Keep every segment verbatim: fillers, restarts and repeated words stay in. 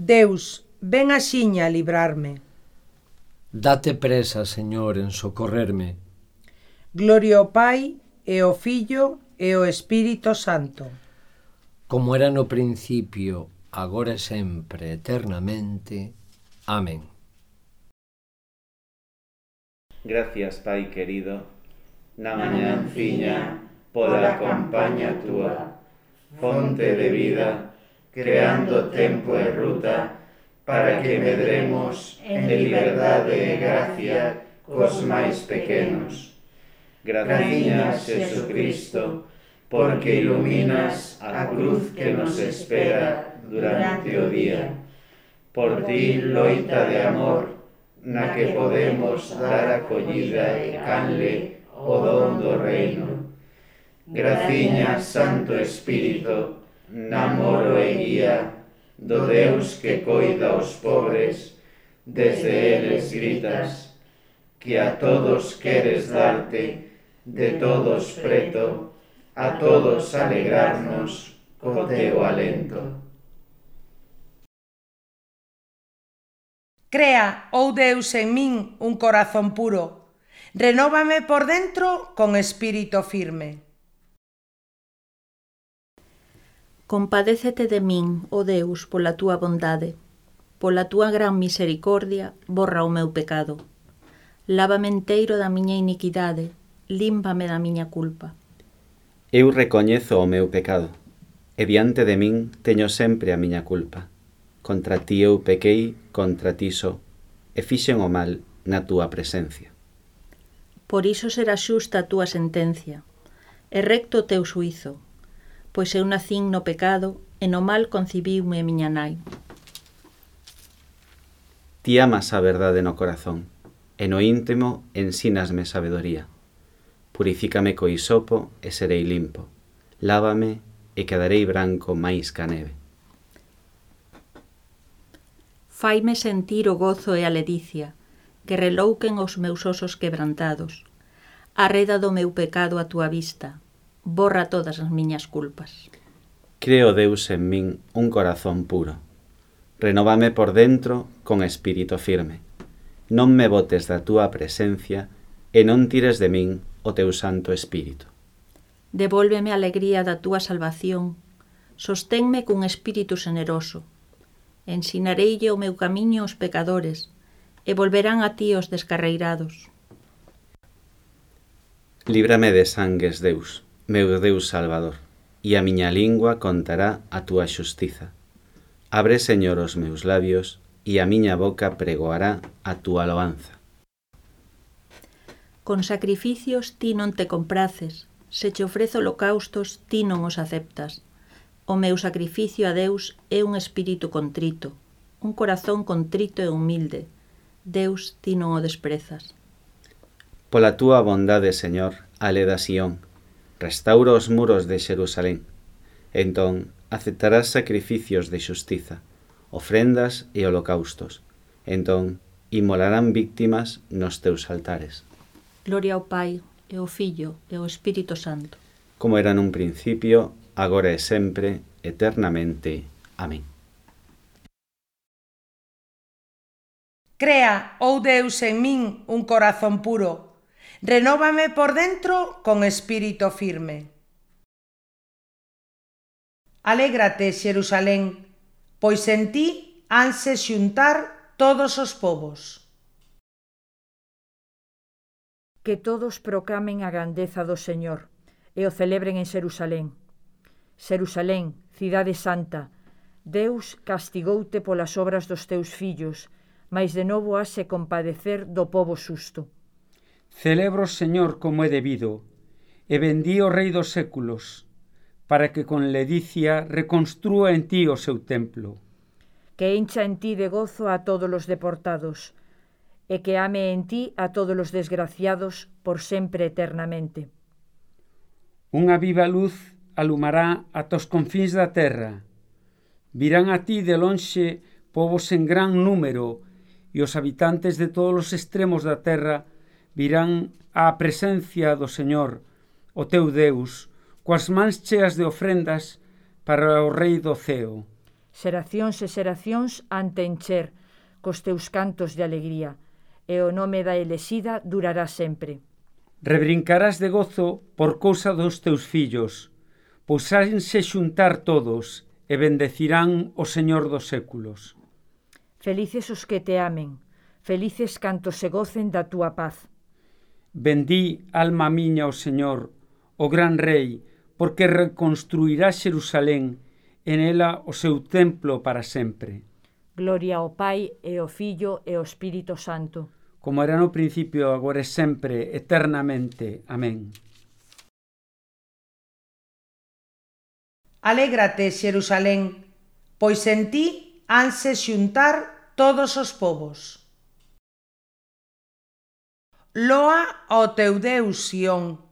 Deus, ven axiña a librarme. Date presa, Señor, en socorrerme. Gloria ao Pai, e ao Fillo, e ao Espírito Santo. Como era no principio, agora e sempre, eternamente. Amén. Gracias, Pai querido, na mañanciña pola compaña túa, fonte de vida, creando tempo e ruta, para que medremos en liberdade e gracia cos máis pequenos. Graciñas, Jesucristo, porque iluminas a cruz que nos espera durante o día. Por ti, loita de amor, na que podemos dar acollida e canle o don do reino. Graciñas, Santo Espírito, namoro e guía do Deus que coida aos pobres, desde eles gritas, que a todos queres darte, de todos preto, a todos alegrarnos co teu alento. Crea, oh Deus, en min un corazón puro, renóvame por dentro con espírito firme. Compadécete de min, ó Deus, pola túa bondade. Pola túa gran misericordia, borra o meu pecado. Lávame enteiro da miña iniquidade, límpame da miña culpa. Eu recoñezo o meu pecado, e diante de min teño sempre a miña culpa. Contra ti eu pequei, contra ti só, e fixen o mal na túa presencia. Por iso será xusta a túa sentencia, e recto o teu suízo, pois eu nacín no pecado, e no mal concibiume miña nai. Ti amas a verdade no corazón, e no íntimo ensínasme sabedoría. Purifícame co hisopo e serei limpo. Lávame e quedarei branco máis ca neve. Faime sentir o gozo e a ledicia, que relouquen os meus osos quebrantados. Arreda do meu pecado a túa vista, borra todas as miñas culpas. Creo, Deus, en min un corazón puro. Renóvame por dentro con espírito firme. Non me botes da túa presencia e non tires de min o teu santo espírito. Devólveme a alegría da túa salvación, sosténme cun espírito generoso. Ensinareille o meu camiño aos pecadores, e volverán a ti os descarreirados. Líbrame de sangues, Deus, meu Deus Salvador, e a miña lingua contará a túa xustiza. Abre, Señor, os meus labios, e a miña boca pregoará a túa loanza. Con sacrificios ti non te compraces, se che ofrezo holocaustos ti non os aceptas. O meu sacrificio a Deus é un espírito contrito, un corazón contrito e humilde. Deus, ti non o desprezas. Pola túa bondade, Señor, ale da Sión, restaura os muros de Xerusalén. Entón, aceptarás sacrificios de xustiza, ofrendas e holocaustos. Entón, inmolarán víctimas nos teus altares. Gloria ao Pai, e ao Fillo, e ao Espírito Santo. Como era nun principio, agora e sempre, eternamente. Amén. Crea, oh Deus, en min un corazón puro, renóvame por dentro con espírito firme. Alégrate, Xerusalén, pois en ti hanse xuntar todos os povos. Que todos proclamen a grandeza do Señor e o celebren en Xerusalén. Xerusalén, cidade santa, Deus castigoute polas obras dos teus fillos, mais de novo hase compadecer do pobo xusto. Celebro, Señor, como é debido, e bendí o Rei dos séculos, para que con ledicia reconstrúa en ti o seu templo. Que encha en ti de gozo a todos os deportados, e que ame en ti a todos os desgraciados por sempre eternamente. Unha viva luz alumará ata os confíns da terra. Virán a ti de lonxe povos en gran número, e os habitantes de todos os extremos da terra virán á presencia do Señor, o teu Deus, coas mans cheas de ofrendas para o Rei do ceo. Xeracións e xeracións han te encher cos teus cantos de alegría, e o nome da elexida durará sempre. Rebrincarás de gozo por cousa dos teus fillos, pois hanse xuntar todos e bendecirán o Señor dos séculos. Felices os que te amen, felices cantos se gocen da túa paz. Bendí, alma miña, o Señor, o gran Rei, porque reconstruirá Xerusalén, en ela o seu templo para sempre. Gloria ao Pai, e ao Fillo, e ao Espírito Santo. Como era no principio, agora e sempre, eternamente. Amén. Alégrate, Xerusalén, pois en ti hanse xuntar todos os povos. Loa ao teu Deus, Sión,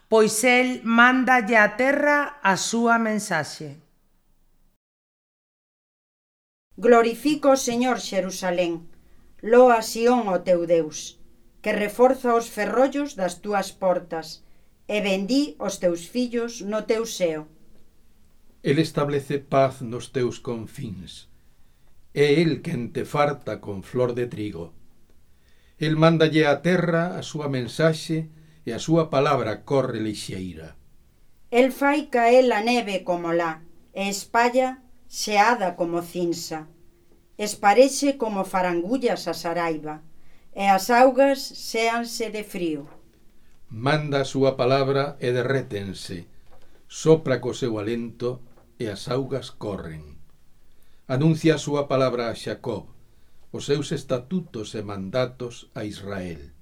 pois el mándalle á terra a súa mensaxe. Glorifica o Señor, Xerusalén, loa Sión o teu Deus, que reforza os ferrollos das túas portas, e bendí os teus fillos no teu seo. El establece paz nos teus confíns. É el quen te farta con flor de trigo. El mándalle á terra a súa mensaxe e a súa palabra corre lixeira. El fai caer a neve como lá, e espalla xeada como cinsa. Esparexe como farangullas a saraiba, e as augas xéanse de frío. Manda a súa palabra e derrétense, sopra co seu alento e as augas corren. Anuncia a súa palabra a Xacob, os seus estatutos e mandatos a Israel.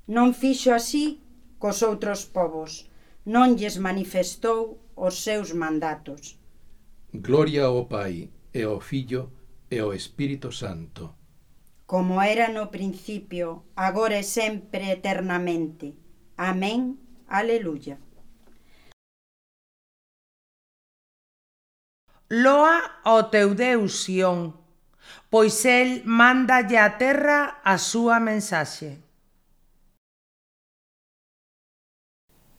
Non fixo así cos outros povos, non lles manifestou os seus mandatos. Gloria ao Pai, e ao Fillo, e ao Espírito Santo. Como era no principio, agora e sempre eternamente. Amén. Aleluya. Loa ao teu Deus, Sión, pois el mándalle á terra a súa mensaxe.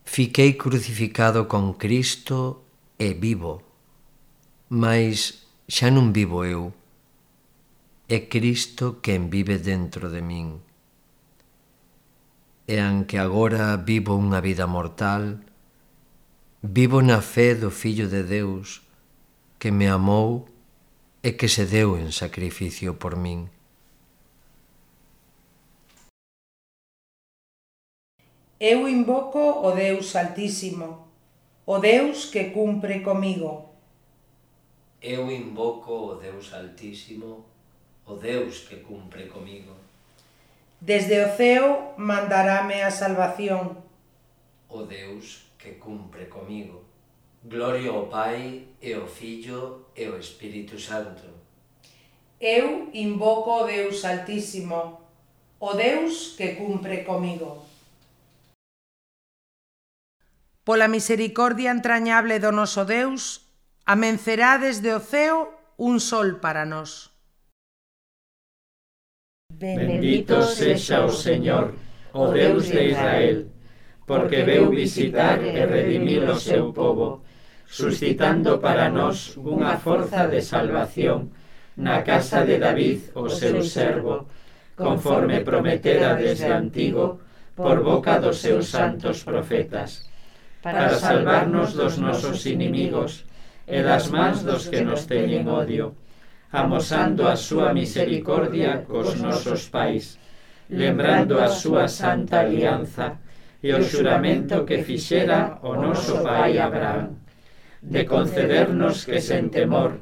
Fiquei crucificado con Cristo e vivo, mas xa non vivo eu, é Cristo quen vive dentro de min. E anque agora vivo unha vida mortal, vivo na fe do Fillo de Deus, que me amou e que se deu en sacrificio por min. Eu invoco o Deus Altísimo, o Deus que cumpre comigo. Eu invoco o Deus Altísimo, o Deus que cumpre comigo. Desde o ceo mandarame a salvación. O Deus que cumpre comigo. Gloria ao Pai, e ao Fillo, e ao Espírito Santo. Eu invoco o Deus Altísimo, o Deus que cumpre comigo. Pola misericordia entrañable do noso Deus, amencerá desde o ceo un sol para nós. Bendito sexa o Señor, o Deus de Israel, porque veu visitar e redimir o seu povo, suscitando para nós unha forza de salvación na casa de David, o seu servo, conforme prometera desde antigo por boca dos seus santos profetas, para salvarnos dos nosos inimigos e das mans dos que nos teñen odio, amosando a súa misericordia cos nosos pais, lembrando a súa santa alianza e o xuramento que fixera o noso pai Abraham, de concedernos que sen temor,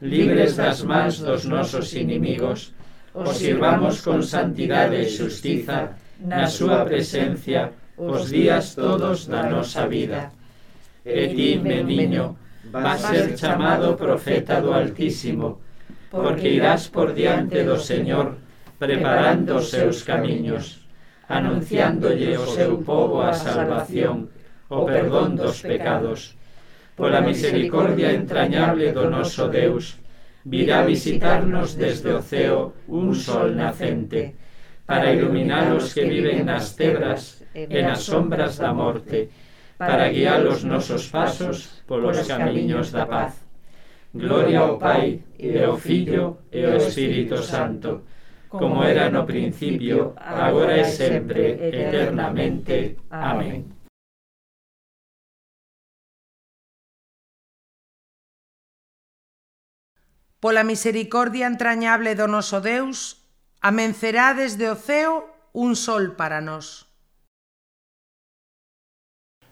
libres das mans dos nosos inimigos, os sirvamos con santidade e xustiza na súa presencia os días todos da nosa vida. E ti, meniño, vas ser chamado profeta do Altísimo, porque irás por diante do Señor, preparando os seus camiños, anunciándolle o seu povo a salvación, o perdón dos pecados. Pola misericordia entrañable do noso Deus, virá visitarnos desde o ceo un sol nacente, para iluminar os que viven nas tebras e nas sombras da morte, para guiar os nosos pasos polos camiños da paz. Gloria ao Pai, e ao Fillo, e ao Espírito Santo, como era no principio, agora e sempre, eternamente. Amén. Pola misericordia entrañable do noso Deus, amencerá desde o ceo un sol para nós.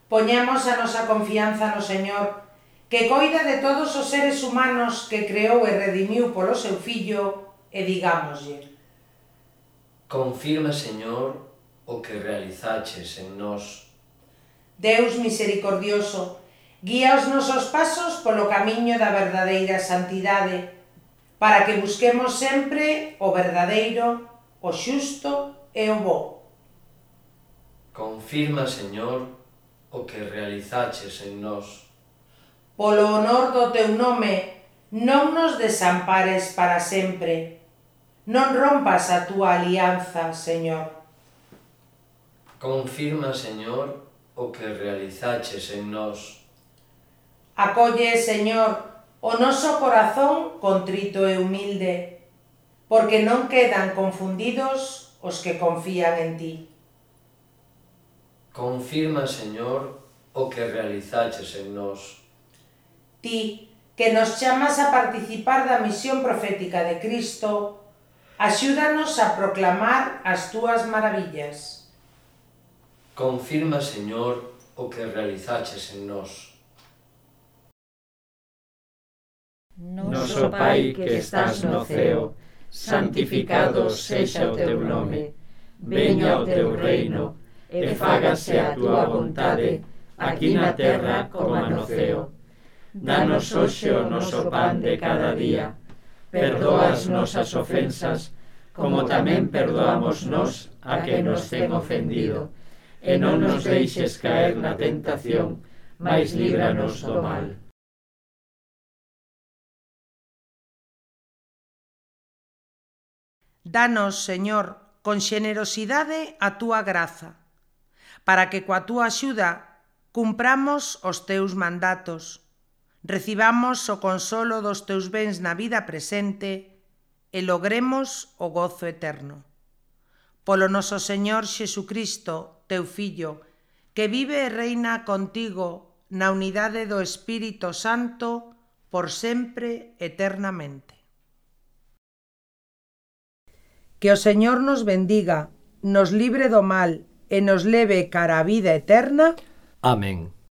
Poñemos a nosa confianza no Señor, que coida de todos os seres humanos que creou e redimiu polo seu Fillo, e digámoslle: Confirma, Señor, o que realizaches en nós. Deus misericordioso, guía os nosos pasos polo camiño da verdadeira santidade, para que busquemos sempre o verdadeiro, o xusto e o bo. Confirma, Señor, o que realizaches en nós. Polo honor do teu nome, non nos desampares para sempre. Non rompas a túa alianza, Señor. Confirma, Señor, o que realizaches en nós. Acolle, Señor, o noso corazón contrito e humilde, porque non quedan confundidos os que confían en ti. Confirma, Señor, o que realizaches en nós. Ti, que nos chamas a participar da misión profética de Cristo, axúdanos a proclamar as túas maravillas. Confirma, Señor, o que realizaches en nós. Noso Pai que estás no ceo, santificado sexa o teu nome. Veña o teu reino, e fágase a túa vontade, aquí na terra como no ceo. Danos hoxe o noso pan de cada día. Perdoa as nosas ofensas, como tamén perdoamos nós a que nos ten ofendido. E non nos deixes caer na tentación, mais líbranos do mal. Danos, Señor, con xenerosidade a túa graza, para que coa túa axuda cumpramos os teus mandatos, recibamos o consolo dos teus bens na vida presente e logremos o gozo eterno. Polo noso Señor Xesucristo, teu Fillo, que vive e reina contigo na unidade do Espírito Santo por sempre eternamente. Que o Señor nos bendiga, nos libre do mal e nos leve cara a vida eterna. Amén.